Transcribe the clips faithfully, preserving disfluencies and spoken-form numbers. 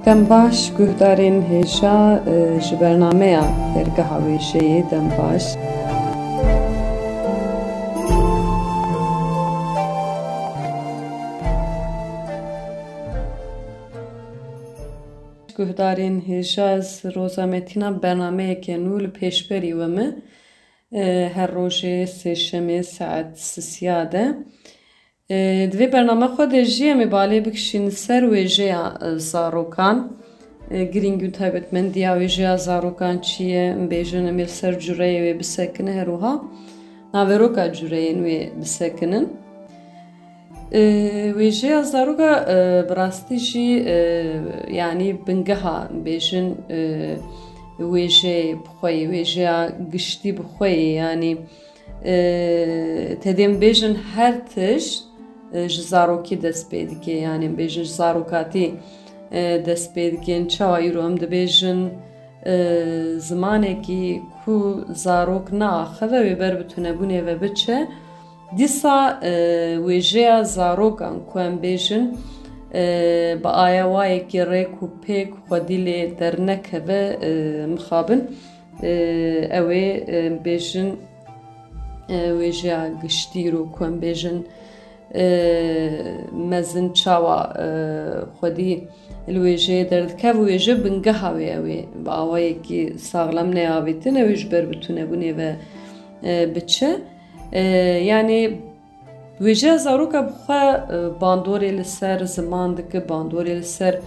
Dem baş guhdarên hêja, e, ji bernameya Dergeha Wêjeyê dem baş. Guhdarên hêja, ez Roza Metîna bernameyeke nû li pêşberî we me. E, her rojê sêşemê saet sisiya de. E, di vê bername xwe de jî em ê balê bikişîn ser wêjeya, e, zarokan. E, girîng û taybetmendiya wêjeya zarokan çi ye? Em bêjin em ê li ser cureyê wê bisekine, her wiha naveroka cureyên wê bisekinin. E, wêjeya zaroka, e, bi rastî jî, e, yanî bingeha, em bêjin, e, wêjeyê bi xwe yê, wêjeya giştî bi xwe yê, yanî, e, tedê em bêjin her tişt, e, ji zarokî dest pê dike, yanî em bêjin ji zarokatî, e, dest pê dike. Çawa îro em dibêjin, e, zimanekî ku zarok neaxive wê ber bi tunebûnê ve biçe, dîsa, e, wêjeya zarokan ku em bêjin, e, bi ayawayekî rêk û pêk xwedî lê dernekeve, e, mixabin, e, ew ê, e, bêjin, e, wêjeya giştî ro ku em bêjin, e, mezin çawa, e, xwedî li wêjeyê derdikeve, wêje bingeha wê ew ê bi awayekî saxlem neyavêtin, ew ê ji ber bi tunebûnê ve, e, biçe. E, yanî wêjeya zaroka bi xwe, e, bandorê li ser ziman dike, bandorê li ser,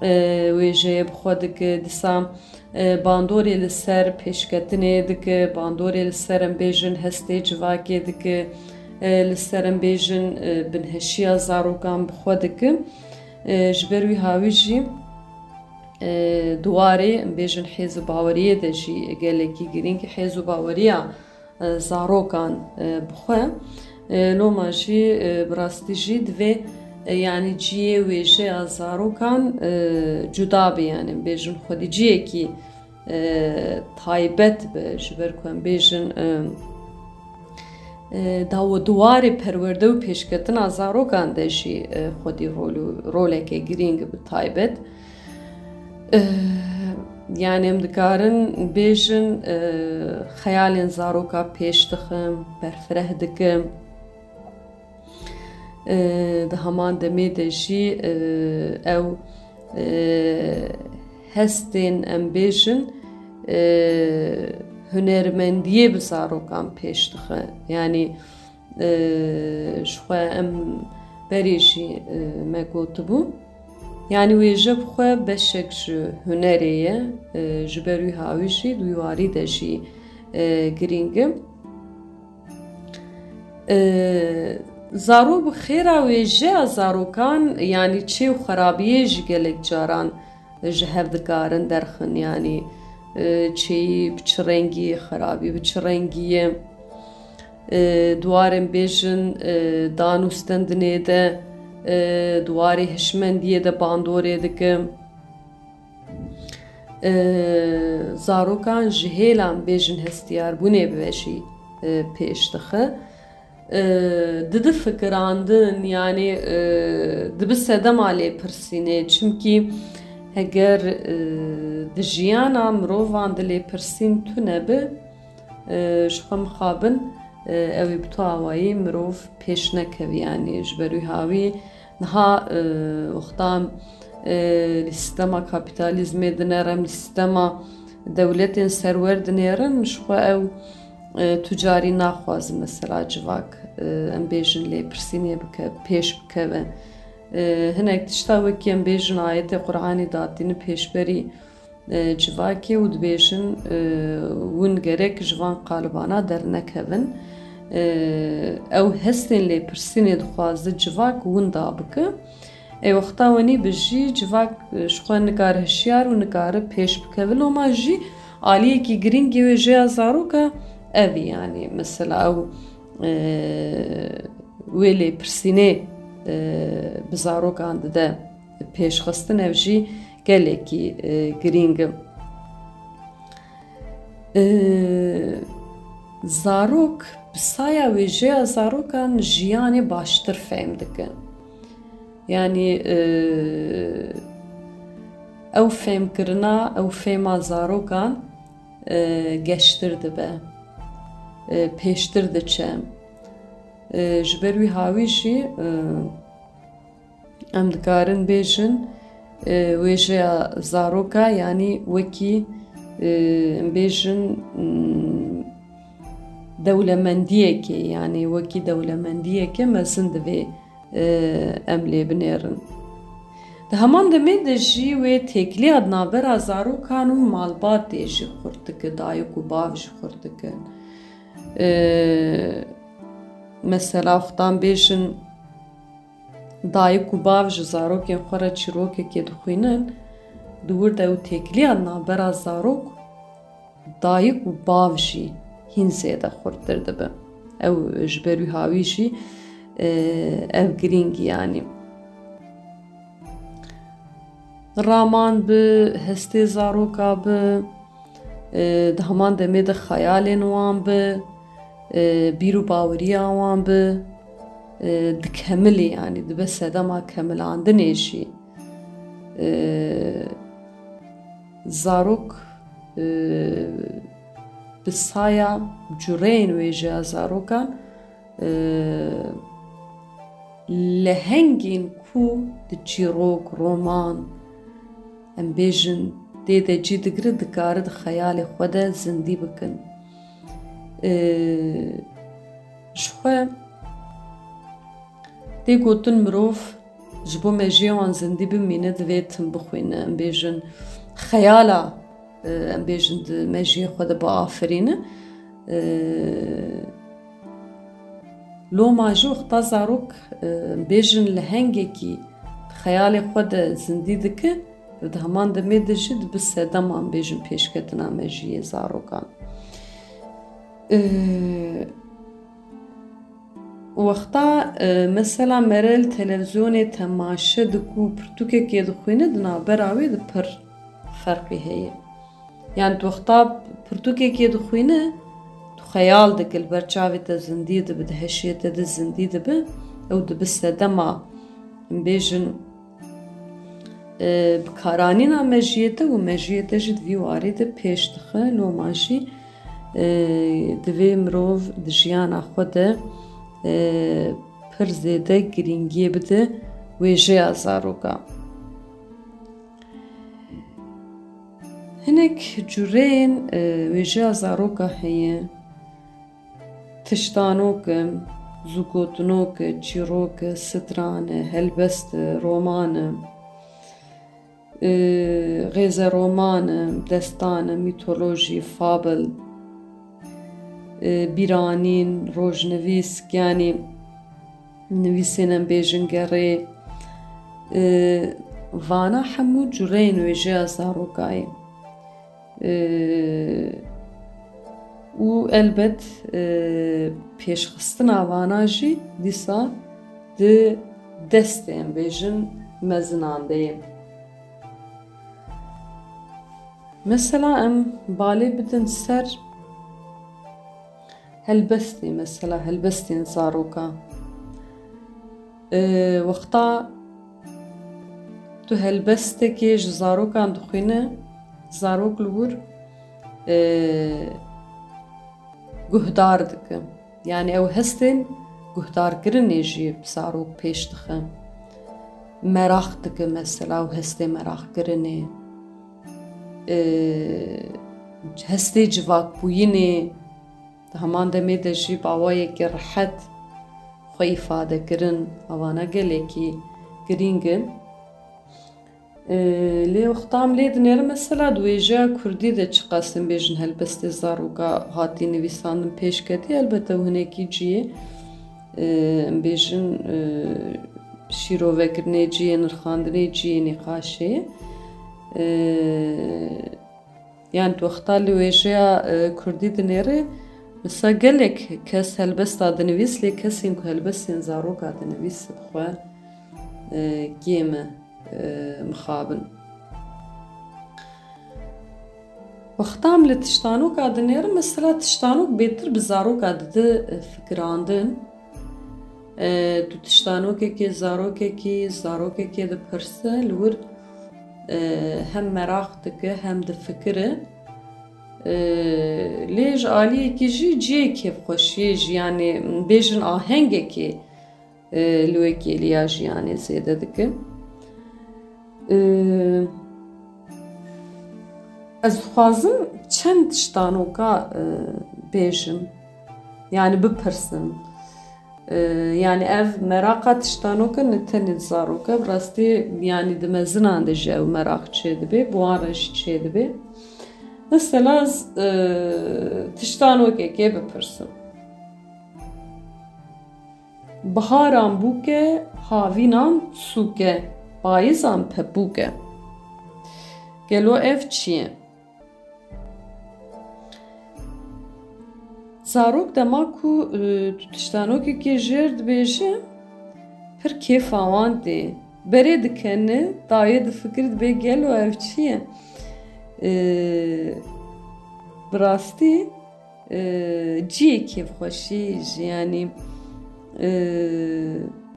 e, wêjeyê bi xwe dike, dîsa, e, bandorê li ser pêşketinê dike, bandorê li ser em bêjin hestê civakê dike, e, li ser em bêjin, e, binheşiya zarokan bi xwe dike. E, ji ber wî hawî jî, e, di warê em bêjin hêz û baweriyê de jî gelekî girîng, hêz û baweriya, e, zarokan, e, bi xwe. E, loma jî, e, bi rastî jî divê, e, yanî cihê wêjeya zarokan, e, cuda be, yanî em bêjin xwedî cihekî, e, taybet be, ji ber ku em bêjin, e, e, dawo diwarê perwerde û pêşketina zarokan de jî, e, xwedî rol û roleke girîng bi taybet. E, yanî em dikarin bêjin, e, xeyalên zaroka pêş dixin, berfireh dikin. E, di heman demê de jî, e, ew, e, hestên, em bêjin, e, hunermendiyê bi zarokan pêş dixe. Yanî, e, ji xwe em berê jî, e, me gotibû. Yanî wêje bi xwe beşek ji hunerê ye, e, ji ber wî hawî jî di wî warî de jî, e, girîng e. E, zarok bi xêra wêjeya zarokan, yanî çê û xerabiyê jî gelek caran ji hev dikarin derxin, yanî, e, çêyî bi çi rengî ye, xerabî bi çi rengî ye. E, di warên bêjin, e, dan û stendinê de, e, di warê hişmendiyê de bandorê dike. E, zarokan ji hêlan bêjin hestiyarbûnê bi ve jî, e, pêş dixe. E, didi fikirandin, yanî, e, dibi sedema lêpirsînê. Çimkî heger, e, di jiyana mirovan de lêpirsîn tune bi, e, ji xwe mixabin, e, ew ê bi tu awayî mirov pêş nekevî. Yanî ji ber wî hawî niha, e, wexta, e, li sîstema kapîtalîzmê dinêrin, li sîstema dewletên serwer dinêrin, ji xwe ew, e, tu carî naxwazin mesela civak, e, em bêjin lêpirsînê bike, pêş bikeve. E, hinek tişta wekî em bêjin ayetê Quranî datîne pêşberî, e, civakê û dibêjin, e, hûn gerek ji van qalibana dernekevin. E, ew hestên lêpirsînê dixwaze civak winda bike. Ê wexta wenî bi jî civak, e, ji xwe nikare hişyar û nikare pêş bikeve. Loma jî aliyekî girîng yê wêjeya zaroka ev e, yanî mesela ew, e, wê lêpirsînê, e, bi zarokan dide pêşxistin, ev jî gelekî, e, girîng e. E, zarok bi saya wêjeya zarokan jiyanê baştir fehm dikin. Yanî, e, ew fêmkirina, ew fêma zarokan, e, geştir dibe, e, pêştir diçe. E, ji ber wî hawî jî, e, em dikarin bêjin, e, wêjeya zaroka, yanî wekî, e, em bêjin, mm, dewlemendiyekê, yanî wekî dewlemendiyeke mezin divê, e, em lê binêrin. Di heman demê de jî wê têkiliya di navbera zarokan û malbatê jî xurt dike, dayik û bav jî xurt dikin. E, mesela, wextan bêjin, dayik û bav ji zarokên xwe re çîrokekê dixwînin, di wir de ew têkiliya navbera zarok, dayik û bav jî hîn zêde xurttir dibe. Ew ji ber wî hawî jî, e, ev girîng, yanî raman bi, hestê zaroka bi, e, di heman demê de xeyalên wan bi, e, bîr û baweriya wan bi, e, dikemilî, yanî dibe sedema kemilandinê jî. E, zarok, e, bi saya cureyên wêjeya zarokan, e, lehengên ku di çîrok, roman, em bêjin, tê de cî digire, dikare di xeyalê xwe de zindî bikin. E, ji xwe tê gotin mirov ji bo mejiyê wan zindî bimîne, divê tim bixwîne, em bêjin, xeyala, e, em bêjin, di mejiyê xwe de biafirîne. E, loma jî wexta zarok, e, em bêjin, lehengekî di xeyalê xwe de zindî dike, di heman demê de jî dibe sedema, em bêjin, pêşketina mejiyê zarokan. E, Wexta, e, mesela mere li televîzyonê temaşe dike û pirtûkekê dixwîne, di navbera wê de pir ferqî heye. Yanî tu wexta pirtûkekê dixwîne, tu xeyal dike, li ber çavê te zindî dibe, di hişê te de zindî dibe, ew dibe sedema, em bêjin, e, bikaranîna mejiyê te û mejiyê te jî di vî warî de pêş dixe. Loma jî, e, divê mirov di jiyana xwe de, e, pir zêde girîngiyê bide wêjeya zaroka. Hinek cureyên, e, wêjeya zaroka heye. Tiştanok e, zûgotinok e, çîrok e, stran e, helbest e, roman e, e, xêzeroman e, destan e, mîtolojî, fabel, e, bîranîn, rojnivîsk, yanî nivîsên em bêjin gerê, e, vana hemû cureyên wêjeya zarokayê. E, û elbet, e, pêşxistina vana jî dîsa di destê, em bêjin, mezinan de ye. Mesela em balê bidin ser helbestê, mesela helbestên zaroka. E, wexta tu helbestekê ji zarokan dixwîne, zarok li wir, e, guhdar dike. Yanî ew hestên guhdarkirinê jî bi zarok pêş dixe. Meraq dike mesela, ew hestê meraqkirinê, e, hestê civakbûyînê, di heman demê de jî bi awayekî rihet xwe îfade kirin, evana gelekî girîng in. E, lê wexta em lê dinêrin, mesela di wêjeya kurdî de çiqas em bêjin helbestê zaroka hatî nivîsandin, pêş ketî, elbet ew hinekî cihê, e, em bêjin, e, şîrovekirinê cihê, nirxandinê cihê nîqaşê ye. E, Yanî tu wexta li wêjeya, e, kurdî dinêrî, mesela gelek kes helbesta dinivîs, lê kesên ku helbestên zaroka dinivîs bi xwe, e, kêm e, e, mixabin. Wexta em li tiştanoka dinêrin, mesela tiştanok bêtir bi zaroka dide, e, fikirandin. E, tu tiştanokekê, zarokekî, zarokekê dipirse, li wir, e, hem meraq dike, hem difikire. E, lê ji aliyekî jî cihê kêfxweşiyê jî, yanî bêjin ahengekê, e, li wê kêliya jiyanê zêde dike. E, ez dixwazim çend tiştanoka, e, bêjim, yanî bipirsim. E, yanî ev meraqa tiştanoka ne tenê di zaroka, bi rastî, yanî di mezinan de jî ew meraq çêdibe, bi wan re jî çêdibe. Mesela ez, e, tiştanokekê bipirsim. Biharan bûk e, havînan sûk e, payizan pepûk e. Gelo ev çi ye? Zarok dema ku, e, tu tiştanokekê jêr dibêje, pir kêfa wan tê. Berê dikene, dayê difikir, dibê gelo ev çi ye? E, bi rastî, e, cihê kêfxweşî jî, yanî, e,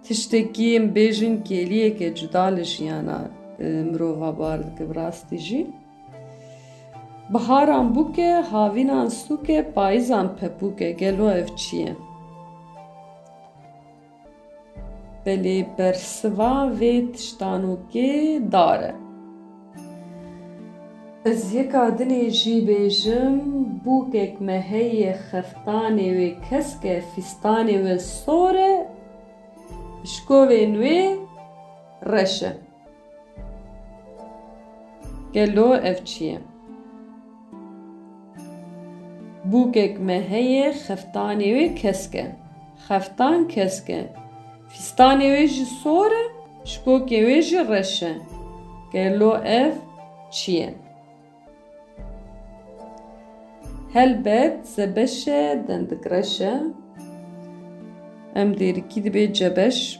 tiştekî em bêjin kêliyeke cuda li jiyana, e, mirova bar dike bi rastî jî. Biharan bûk e, havînan sûk e, payizan pepûk e. Gelo ev çi ye? Belê bersiva vê tiştanokê dar e. Ez yeka dinê jî bêjim, bûkek me heye, xeftanê wê kesk e, fîstanê wê sor e, pişkovên wê reş e. Gelo ev çi ye? Bûkek me heye, xeftanê wê kesk e. Xeftan kesk e. Fîstanê wê jî sor e, şikokê wê jî reş e. Gelo ev çi ye? Helbet zebeş e, dendik reş e. Em dêrikî dibê cebeş.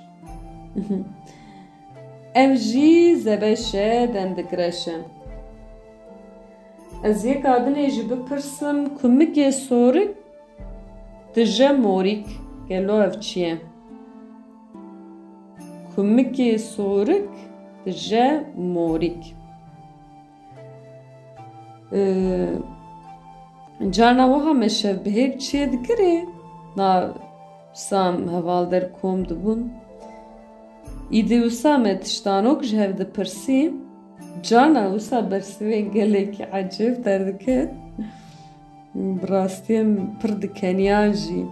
Ev jî zebeş e, dendik reş e. Ez yeka dinê jî bipirsim, kumikê sorik dije morîk. Gelo ev çi ye? Kumikê sorik dije morîk. Ee, carna wiha me şevbihêk çêdikirê, na wisa em hevalder kom dibûn. Îdî wisa me tiştanok ji hev dipirsî, carna wisa bersivên gelekî ecêb derdiket. Bi rastî em pir dikeniyan jî.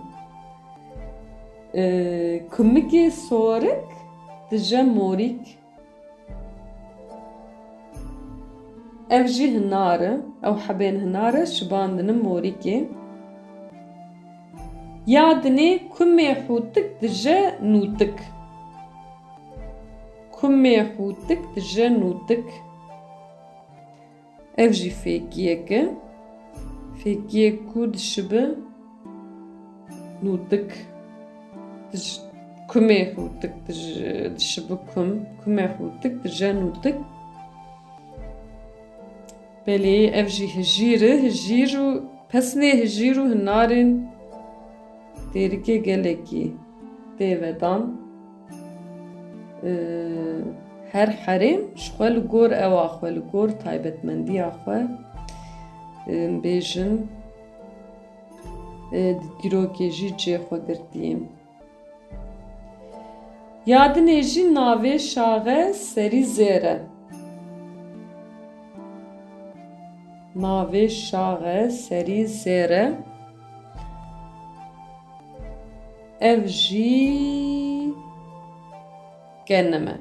Ee, kumikê sorik dije morîk. Ev jî hinar e. Ew hebên hinar e, şibandine morîkê. Ya dinê kumê hûtik dije nûtik. Kumê hûtik dije nûtik. Ev jî fêkiyek e. Fêkiyek ku dişibi nûtik. Dij-, kumê hûtik dij-, dişibi kum. Kumê hûtik dije nûtik. Belê ev jî hijîr e. Hijîr û pesnê hijîr û hinarên dêrikê gelekî tê vedan. Ee, her herêm ji xwe li gor ewa xwe, li gor taybetmendiya xwe, ee, bêjin, ee, di dîrokê jî cê xwe girtiye. Ya dinê jî navê şaxe serî zêr e. Navê şaxe serî zêr e. Ev jî genim e.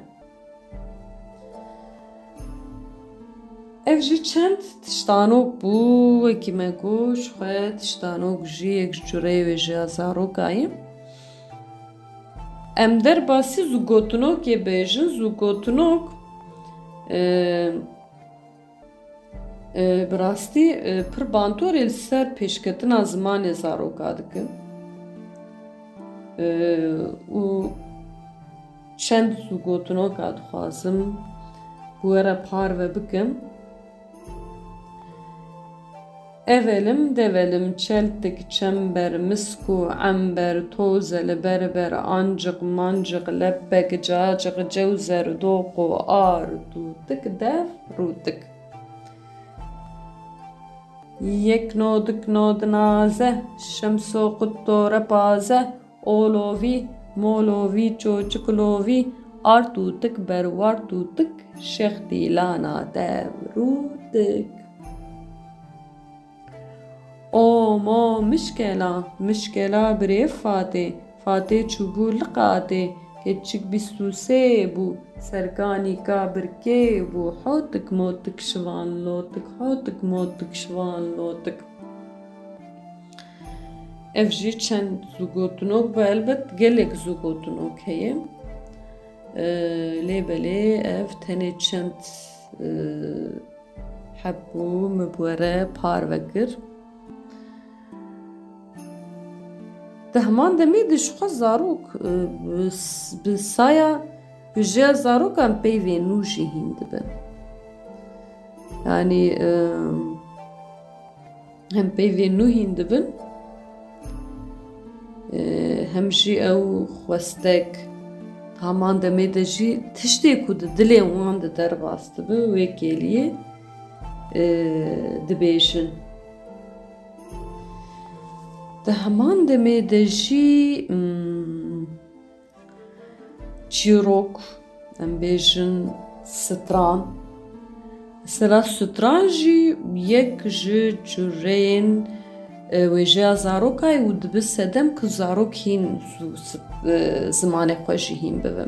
Ev jî çend tiştanok bû, wekî me got, ji xwe tiştanok jî yek ji cureyê wêjeya zarokayê. Em derbasî zûgotinokê bêjin, zûgotinok, e, E, bi rastî, e, pir bandorê li ser pêşketina zimanê zaroka dikin. E, û çend zûgotinoka dixwazim bi we re parve bikim. Evelim develim çeltik çember misk û ember toze li berber anciq manciq lepek caciq cewzer doq û ar tûtik dev rûtik. Yek nodik nod naze şemso qutto repaze olovî molovî çoçik lovî ar tûtik berwar tûtik şextîlana dev rûtik. O mo mişkela, mişkela birê Fatê, Fatê çûbû li qatê, keçik bîst û sê bû, serkanîka birkê bû, hotik motik şivan lotik, hotik motik şivan lotik. Ev jî çend zûgotinok bû, elbet gelek zûgotinok heye. Ee, lê belê ev tenê çend, e, Hebû min bi we re parve kir. Di heman demê de jixwe zarok, e, bi s-, bi saya hêja zarokan peyvên nû jî hîn dibin. Yanî, e, hem peyvên nû hîn dibin, e, hem jî ew xwestek, heman demê de jî tiştê ku di dilê wan de derbas dibe, wê kêliyê, e, dibêjin. Di heman demê de jî, mm, çîrok, em bêjin stran. Mesela stran jî yek ji cureyên, e, wêjeya zarokayê û dibe sedem ku zarok hîn zû s-, e, zimanê xwe jî hîn bibe.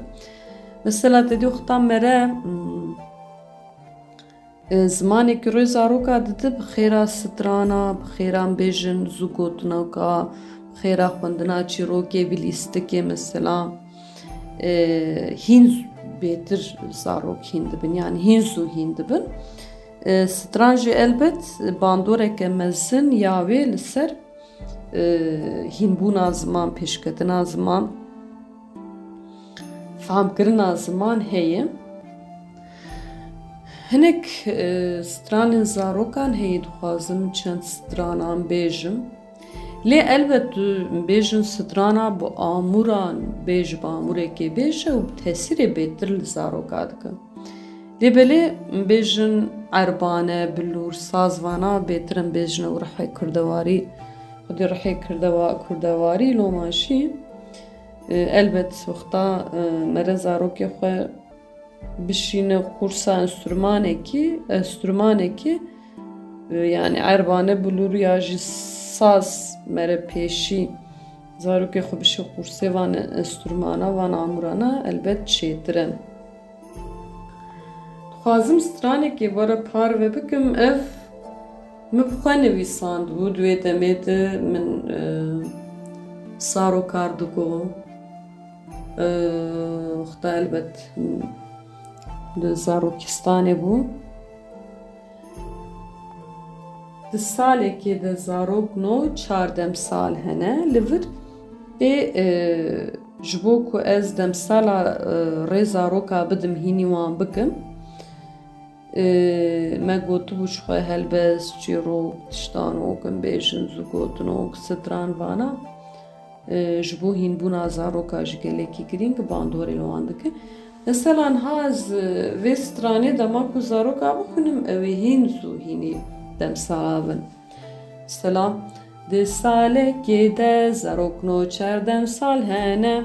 Mesela te dî wexta mere, mm, E, zimanê ku rê zaroka dide bi xêra strana, bi xêra em bêjin zûgotinoka, bi xêra xwendina çîrokê bi lîstikê mesela, e, hîn z-, bêtir zarok hîn dibin, yanî hîn zû hîn dibin. E, stran jî elbet bandoreke mezin ya wê li ser e, hînbûna ziman, pêşketina ziman, fehmkirina ziman heye. Hinek, e, stranên zarokan heye, dixwazim çend stranan bêjim. Lê elbet tu bêjin strana bi amûran bêj, bi amûrekê bêje û bi tesîrê bêtir li zaroka dike. Lê belê bêjin erbane, bilûr, sazvana bêtir em bêjin ew rihê kurdewarî, xwedî rihê kirdewa-, kurdewarî loma jî, e, elbet wexta, e, mere zarokê xwe bişîne qursa enstrûmanekî, enstrûmanekî, e, yanî erbane, bilûr ya jî saz mere pêşî zarokê xwe bişî qursê van enstrûmana, van amûrana elbet çêtir e. Dixwazim stranekê we re parve bikim. Ev min bi xwe nivîsandibû. Di wê demê de min, e, saro kar digo. E, wexta elbet, m, di zarokistanê bû. Di salekê de zarok no çar demsal hene. Li vir tê, e, ji bo ku ez demsala, e, rê zaroka bidim, hînî wan bikim. E, me gotibû ji xwe helbest, çîrok, tiştanok, em bêjin zûgotinok, stran vana. E, ji bo hînbûna zaroka jî gelekî girîng bandorê li wan dike. Mesela niha ez, e, vê stranê dema ku zaroka bixwînim, ew ê hîn zû hînî demsala bin. Mesela, di salekê de zarokno çar demsal hene.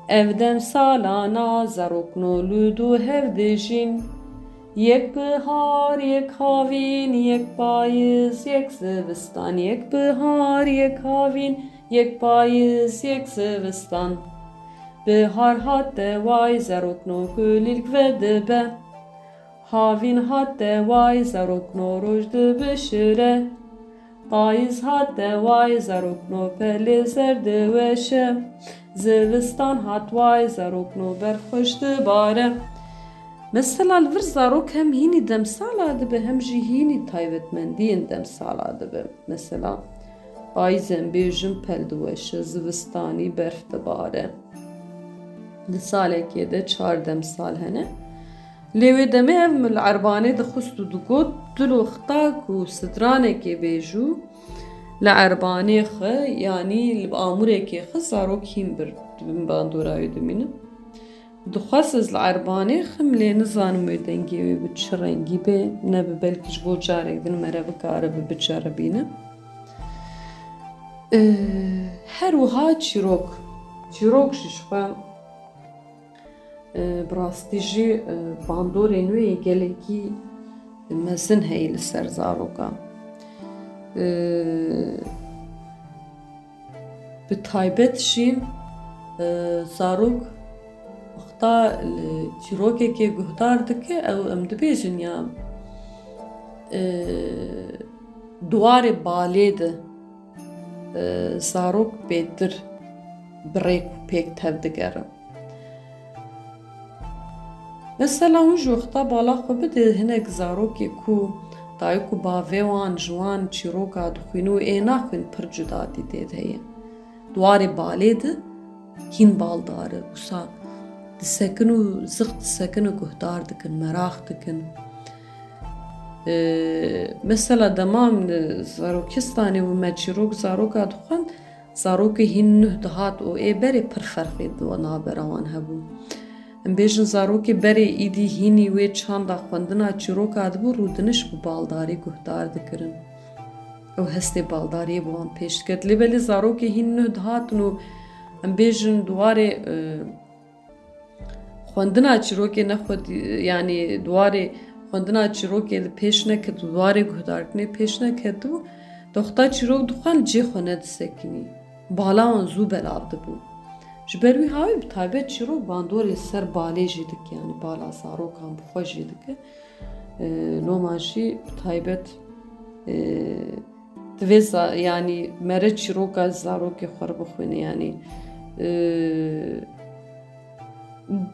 Ev demsalana zarokno li du hev dijîn. Yek bihar, yek havîn, yek payiz, yek zivistan, yek bihar, yek havîn, yek payiz, yek zivistan. Bihar hate way, zarokno kulîlk vedibe. Havîn hate way, zarokno roj dibişire. Payiz hate way, zarokno pelê zer diweşe. Zivistan hat way, zarokno berf xweş dibare. Mesela li vir zarok hem hînî demsala dibe, hem jî hînî taybetmendiyên demsala dibe. Mesela, payîzê em bêjin pel diweşe, zivistanî berf dibare. Di salekê de çar demsal hene. Lê wê demê ev li erbanê dixwist û digot, tu li wexta ku sidranekê bêjû li erbanê xwe, yanî li amûrekê xwe zarok hîn bir di bin bandora wê dimînin. Dixwest ez li erbanê xim, lê nizanim wê dengê wê bi çi rengî be, ne bi belkî ji bo carek din mere bikare bi biceribîne. Ee, her wiha çîrok. Çîrok jî ji xwe, e, bi rastî jî, e, bandorên wê yê gelekî mezin heye li ser zarokan. Ee, Bi taybet jî, e, zarok wexta li çîrokekê guhdar dike, ew em dibêjin ya, e, di warê balê de, e, zarok bêtir bi rêk û pêk tev digerin. Mesela hûn ji wexta bala xwe bide, hinek zarokê ku dayik û bavê wan ji wan çîroka dixwîne û ê naxwîn pir cudatî tê de heye. Di warê balê de hîn baldar e, wisa disekin û zix disekin û guhdar dikin, meraq dikin. Ee, mesela dema min li zarokistanê bû, me çîrok zaroka dixwend, zarokê hîn nuh dihat û ê berê pir ferqê di navbera wan hebû. Em bêjin zarokê berê îdî hînî wê çanda xwendina çîroka dibû, rûdiniş bi baldarî guhdar dikirin. Ew hestê baldariyê bi wan pêş diket. Lê belê zarokê hîn nuh dihatin û em bêjin di warê, e, xwendina çîrokê nexwedî, yanî di warê xwendina çîrokê li pêş neketu, di warê guhdarkirinê pêş neketibû, di wexta çîrok dixwend cê xwe nedisekinî. Bala wan zû belav dibû. Ji ber wî hawî bi taybet çîrok bandorê ser balê jî dike, yanî bala zarokan bi xwe jî dike. Ee, loma jî bi taybet, ee, divê za-, yanî mere çîroka zarokê xwe re bixwîne, yanî, ee,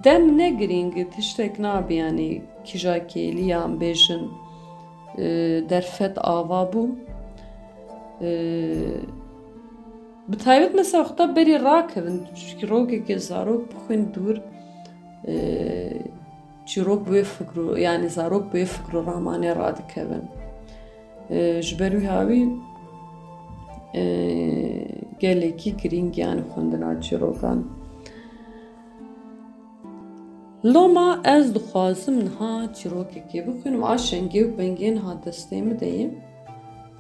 dem ne girîng, tiştek nabe, yanî kîja kêlî ya em bêjin, ee, derfet ava bû. Ee, bi taybet mesela wexta berî rakevin, çîrokekê zarok bixwîn dûr, ee, çîrok bi wê fikr û, yanî zarok bi wê fikr û ramanê radikevin. Ee, ji ber wî hawî, ee, gelekî girîng e, yanî xwendina çîrokan. Loma ez dixwazim niha çîrokekê bixwînim. A şengê û pengê niha destê min de ye.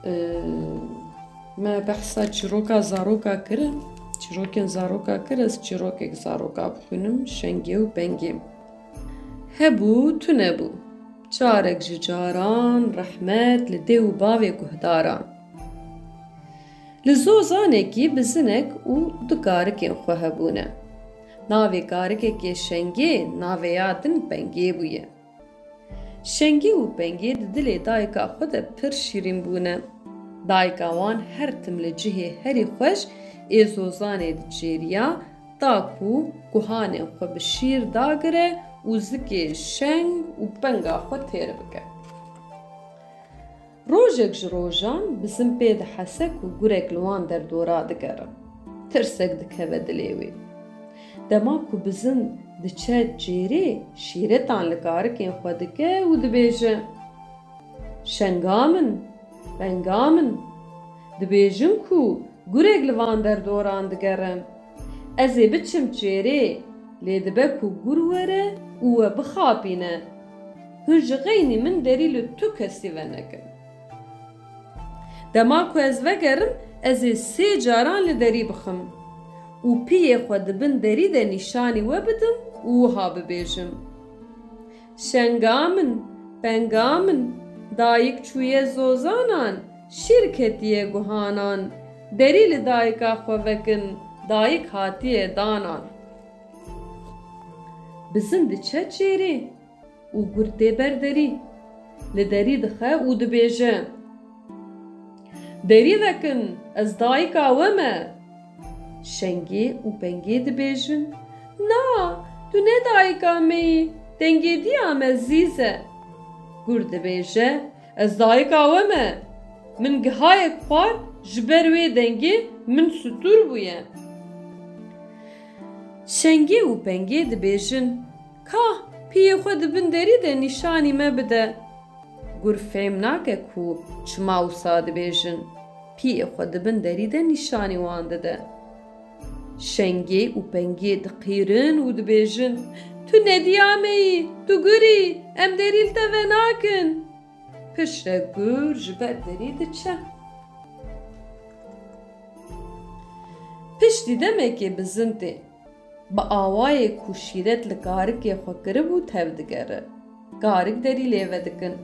Ee, me behsa çîroka zaroka kirin. Çîrokên zaroka kir, ez çîrokek zaroka bixwînim. Şengê û pengê. Hebû, tune bû. Carek ji caran rehmet li dê û bavê guhdaran. Li zozanekî bizinek û du karikên xwe hebûne. Navê karikekê Şengê, navê ya din Pengê bûye. Şengê û Pengê di dilê dayika xwe de pir şîrîn bûne. Dayika wan her tim li cihê herî xweş ê zozanê diçêriya, ta ku guhanên xwe bi şîr dagire û zikê şeng û penga xwe têr bike. Rojek ji rojan bizin pê dihese ku gurek li wan derdora digere. Tirsek dikeve dilê wê. Dema ku bizin diçe çêrê, şîretan li karikên xwe dike û dibêje, "Şenga min, penga min, dibêjin ku gurek li van derdoran digere. Ez ê biçim çêrê, lê dibe ku gur were û we bixapîne. Hûn ji xeynî min derî li tu kesî venekin. Dema ku ez vegerim, ez ê sê caran li derî bixim û piyê xwe di bin derî de nîşanî we bidim û wiha bibêjim, 'Şenga min, penga min, dayik çûye zozanan, şîr ketiye guhanan. Derî li dayika xwe vekin, dayik hatiye danan.'" Bizin diçe çêrê û gur tê ber derî. Li derî dixe û dibêje, "Derî vekin, ez dayika we me." Şengê û pengê dibêjin, "Na, tu ne dayika me yî, dengê diya me zîz e." Gur dibêje, "Ez dayika we me. Min gihayek xwar, ji ber wê dengê min stûr bûye." Şengê û pengê dibêjin, "Ka, Piyê xwe di bin derî de nîşanî me bide. Gur fêm nake ku çima wisa dibêjin. Piyê xwe di bin derî de nîşanî wan dide. Şengê û pengê diqîrin û dibêjin, "Tu nediya me yî, tu gur î, em derî li te venakin." Piştre gur ji ber derî diçe. Piştî demekê bizin tê. Bi awayê ku şîret li karikê xwe kiribû tev digere. Karik derî lê vedikin.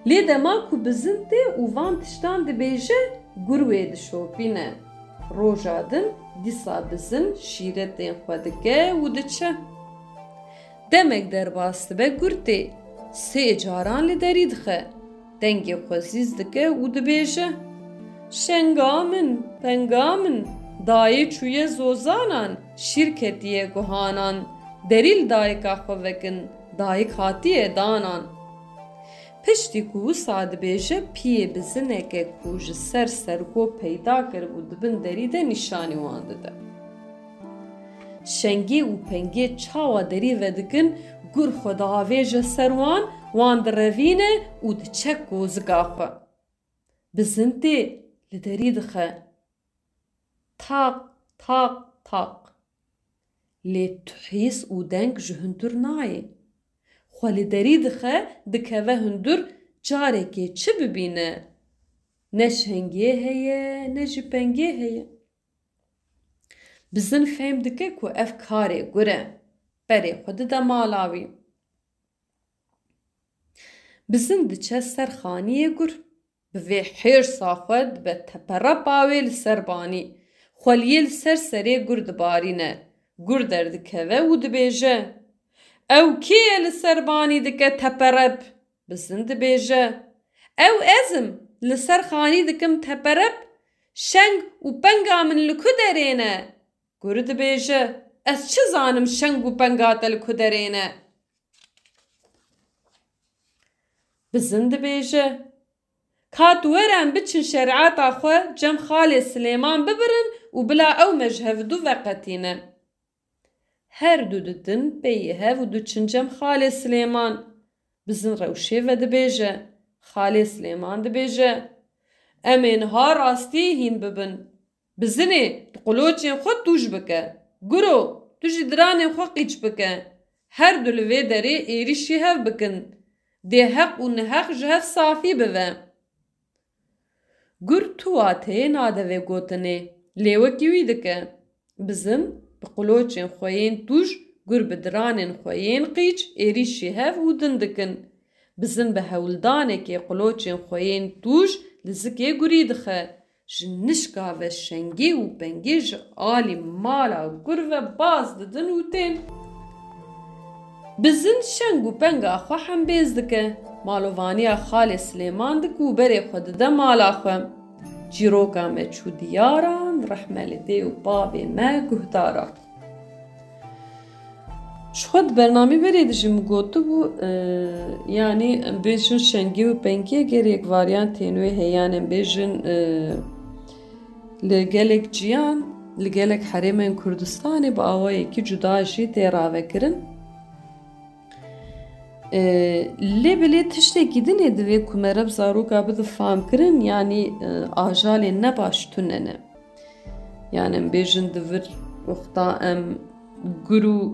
Lê dema ku bizin tê û van tiştan dibêje, gur wê dişopîne. Roja din dîsa bizin şîretên xwe dike û diçe. Demek derbas dibe gur tê, sê caran li derî dixe. Dengê xwe zîz dike û dibêje, "Şenga min, penga min, dayê çûye zozanan, şîr ketiye guhanan, derî li dayika xwe vekin, dayik hatiye danan." Piştî ku wisa dibêje, piyê bizineke ku ji ser sergo peyda kiribû di bin derî de nîşanî wan dide. Şengê û pengê çawa derî vedikin, gur xwe diavêje ser wan, wan direvîne û diçe kozika xwe. Bizin tê li derî dixe. Taq, taq, taq. Lê tu hîs û deng ji hundir nayê. Xwe li derî dixe, dikeve hundir, carekê çi bibîne? Ne şengê heye, ne jî pengê heye. Bizin fêm dike ku ev karê gur e. Berê xwe dide mala wî. Bizin diçe ser xaniyê gur. Bi vê hêrsa xwe dibe teperep a wê li ser banî. Xweliyê li ser serê gur dibarîne. Gur derdikeve û dibêje, "Ew kê ye li ser banî dike teperep?" Bizin dibêje, "Ew ez im, li ser xanî dikim teperep, şeng û penga min li ku derê ne?" Gur dibêje, "Ez çi zanim şeng û penga te li ku derê ne?" Bizin dibêje, "Ka tu were em biçin şerîeta xwe cem Xalê Silêman bibirin û bila ew me ji hevdu veqetîne." Her du didin peyê hev û diçin cem Xalê Silêman. Bizin rewşê vedibêje. Xalê Silêman dibêje, "Em ê niha rastî hîn bibin. Bizinê, tu qiloçên xwe tûj bike. Guro, tu jî diranên xwe qîç bike. Her du li vê derê êrîşî hev bikin. Dê heq û niheq ji hev safî bive." Gur tu wateyê nade vê gotinê, lê wekî wî dike. Bizin bi qiloçên xwe yên tûj, gur bi diranên xwe yên qîç êrîşî hev û din dikin. Bizin bi hewldanekê qiloçên xwe yên tûj li zikê gurî dixe. Ji nişka ve şengê û pengê ji alî mala gur ve baz didin û tên. Bizin şeng û penga xwe hembêz dike. Malovaniya Xalê Silêman dike û berê xwe dide mala xwe. Çîroka me çû diyaran, rehme li dê û bavê me guhdaran. Ji xwe di bernamê berê de jî min gotibû, e, yanî em bêjin şengê û pengê gelek varyantên wê heye, yan em bêjin, e, li gelek ciyan, li gelek herêmên Kurdistanê bi awayekî cuda jî tê ravekirin. E, lê belê tiştekî din ê divê ku mere bi zaroka bide famkirin, yanî, e, ajalên nebaş tune ne. Yanî em bêjin di vir wexta em gur û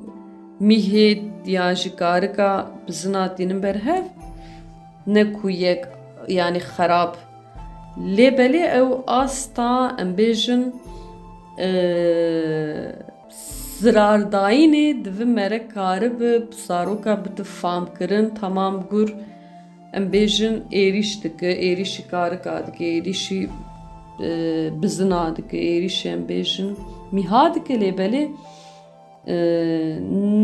mîhê ya jî karika bizina tînin ber hev, ne ku yek, yanî xerab. Lê belê ew asta, em bêjin, e, zirardayînê di vin mere karibe bi zaroka bide famkirin, temam gur, em bêjin, êrîş dike, êrîşî karika dike, êrîşî, e, bizina dike, êrîşî, em bêjin, mîha dike, lê belê, e,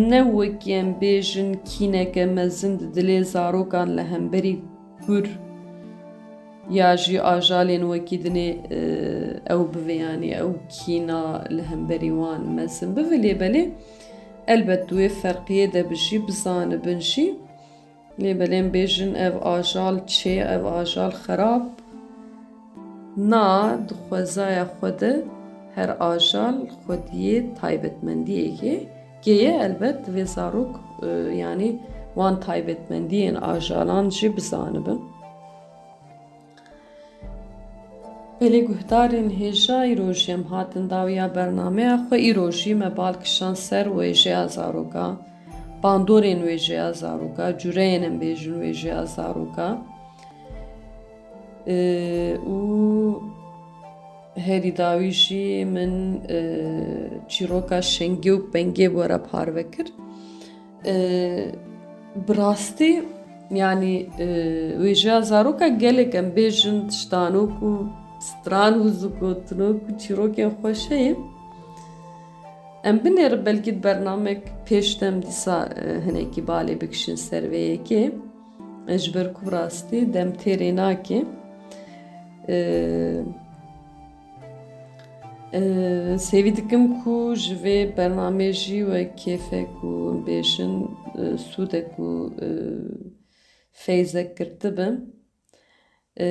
ne wekî, em bêjin, kîneke mezin di dilê zarokan li hemberî gur ya jî ajalên wekî dinê, e, ew bibe, yanî ew kîna li hemberî wan mezin bibe, lê belê elbet di wê ferqiyê de bi jî bizanibin jî. Lê belê em bêjin ev ajal çê, ev ajal xerab. Na, di xwezaya xwe de her ajal xwediyê taybetmendiyekê kê ye, elbet divê zarok e, yanî wan taybetmendiyên ajalan jî bizanibin. Belê guhdarên hêja, îro jî em hatin dawiya bernameya xwe. Îro jî me bal kişand ser wêjeya zaroka, bandorên wêjeya zaroka, cureyên em bêjin wêjeya zaroka. E, û herî dawî jî min, e, çîroka Şengê û Pengê bi we re parve kir. E, bi rastî, yanî, e, wêjeya zaroka gelek em bêjin tiştanok û stran û zûgotinok û çîrokên xweş heye. Em binêrin belkî di bernamek pêş de em dîsa, e, hinekî balê bikişin ser vê yekê. E, ji ber ku bi rastî dem têrê nake. E, e, sêvî dikim ku ji vê bernamê jî we kêfek û bêjin, e, sûdek û, e, feyzek girtibe. E,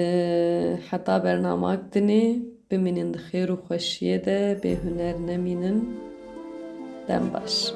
heta bernamak dinê, bimînin di xêr û xweşiyê de, bê huner nemînin. Dem baş.